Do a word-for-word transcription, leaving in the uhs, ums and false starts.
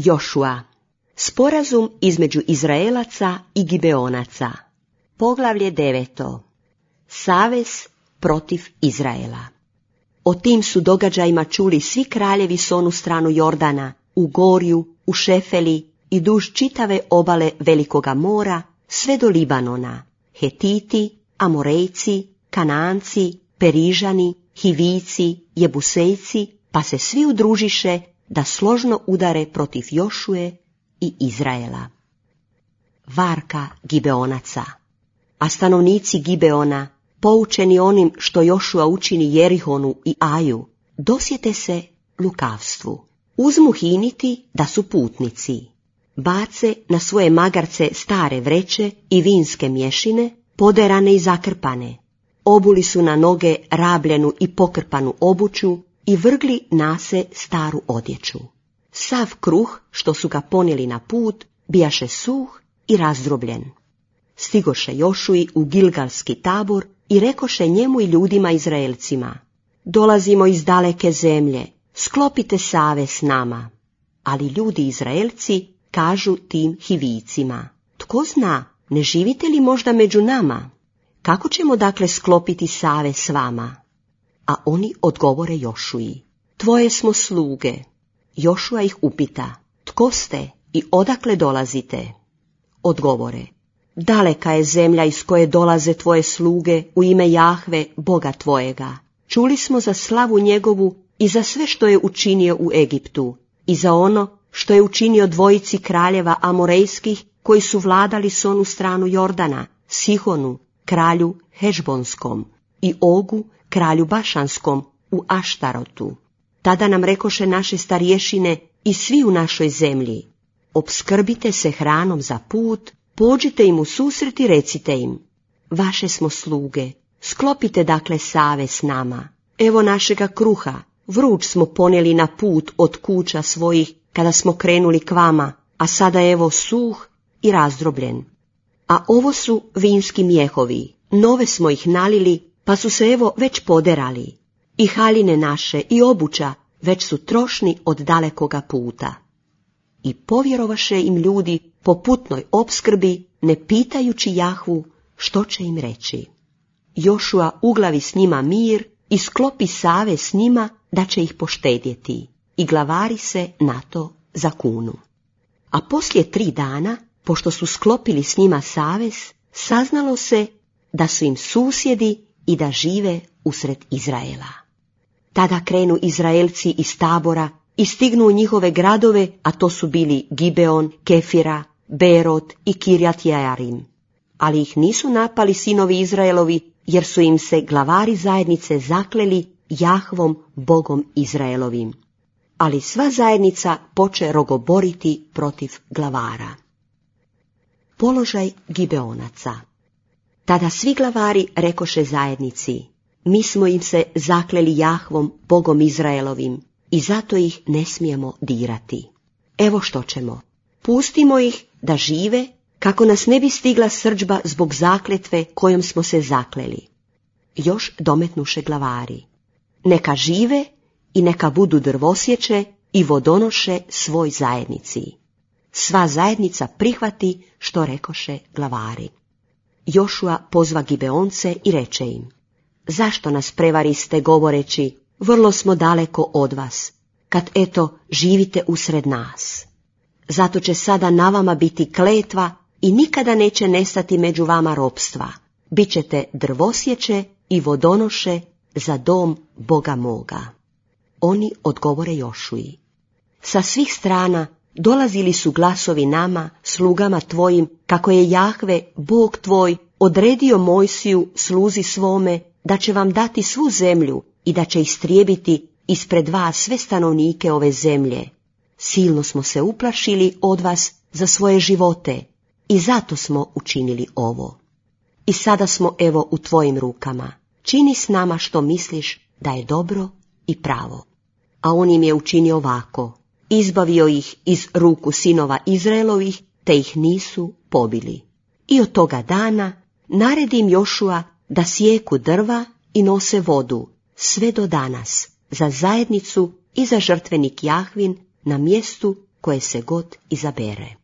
Jošua. Sporazum između Izraelaca i Gibeonaca. Poglavlje deveto. Savez protiv Izraela. O tim su događajima čuli svi kraljevi s onu stranu Jordana, u Gorju, u Šefeli i duž čitave obale Velikoga mora, sve do Libanona, Hetiti, Amorejci, Kananci, Perižani, Hivici, Jebusejci, pa se svi udružiše da složno udare protiv Jošue i Izraela. Varka Gibeonaca. A stanovnici Gibeona, poučeni onim što Jošua učini Jerihonu i Aju, dosjete se lukavstvu. Uzmu hiniti da su putnici. Bace na svoje magarce stare vreće i vinske mješine, poderane i zakrpane. Obuli su na noge rabljenu i pokrpanu obuću i vrgli nase staru odjeću. Sav kruh, što su ga ponijeli na put, bijaše suh i razdrobljen. Stigoše Jošui u Gilgalski tabor i rekoše njemu i ljudima Izraelcima: dolazimo iz daleke zemlje, sklopite savez s nama. Ali ljudi Izraelci kažu tim Hivijcima: tko zna, ne živite li možda među nama? Kako ćemo dakle sklopiti savez s vama? A oni odgovore Jošui: tvoje smo sluge. Jošua ih upita: tko ste i odakle dolazite? Odgovore: daleka je zemlja iz koje dolaze tvoje sluge u ime Jahve, Boga tvojega. Čuli smo za slavu njegovu i za sve što je učinio u Egiptu, i za ono što je učinio dvojici kraljeva Amorejskih koji su vladali s onu stranu Jordana, Sihonu, kralju Hešbonskom, i Ogu, kralju Bašanskom, u Aštarotu. Tada nam rekoše naše starješine i svi u našoj zemlji: opskrbite se hranom za put, pođite im u susret i recite im: vaše smo sluge, sklopite dakle savez s nama. Evo našega kruha, vruć smo ponijeli na put od kuća svojih kada smo krenuli k vama, a sada evo suh i razdrobljen. A ovo su vinski mjehovi, nove smo ih nalili, pa su se evo već poderali. I haljine naše i obuća već su trošni od dalekoga puta. I povjerovaše im ljudi po putnoj opskrbi, ne pitajući Jahvu što će im reći. Jošua uglavi s njima mir i sklopi savez s njima da će ih poštedjeti, i glavari se na to zakunu. A poslije tri dana, pošto su sklopili s njima savez, saznalo se da su im susjedi i da žive usred Izraela. Tada krenu Izraelci iz tabora i stignu u njihove gradove, a to su bili Gibeon, Kefira, Berot i Kirjat Jearim. Ali ih nisu napali sinovi Izraelovi, jer su im se glavari zajednice zakleli Jahvom, Bogom Izraelovim. Ali sva zajednica poče rogoboriti protiv glavara. Položaj Gibeonaca. Tada svi glavari rekoše zajednici: mi smo im se zakleli Jahvom, Bogom Izraelovim, i zato ih ne smijemo dirati. Evo što ćemo: pustimo ih da žive, kako nas ne bi stigla srdžba zbog zakletve kojom smo se zakleli. Još dometnuše glavari: neka žive i neka budu drvosječe i vodonoše svoj zajednici. Sva zajednica prihvati što rekoše glavari. Jošua pozva Gibeonce i reče im: zašto nas prevariste govoreći: vrlo smo daleko od vas, kad eto živite usred nas? Zato će sada na vama biti kletva i nikada neće nestati među vama ropstva. Bićete drvosječe i vodonoše za dom Boga moga. Oni odgovore Jošui: sa svih strana dolazili su glasovi nama, slugama tvojim, kako je Jahve, Bog tvoj, odredio Mojsiju, sluzi svome, da će vam dati svu zemlju i da će istrijebiti ispred vas sve stanovnike ove zemlje. Silno smo se uplašili od vas za svoje živote i zato smo učinili ovo. I sada smo evo u tvojim rukama. Čini s nama što misliš da je dobro i pravo. A on im je učinio ovako: izbavio ih iz ruku sinova Izraelovih, te ih nisu pobili. I od toga dana naredim Jošua da sijeku drva i nose vodu, sve do danas, za zajednicu i za žrtvenik Jahvin na mjestu koje se god izabere.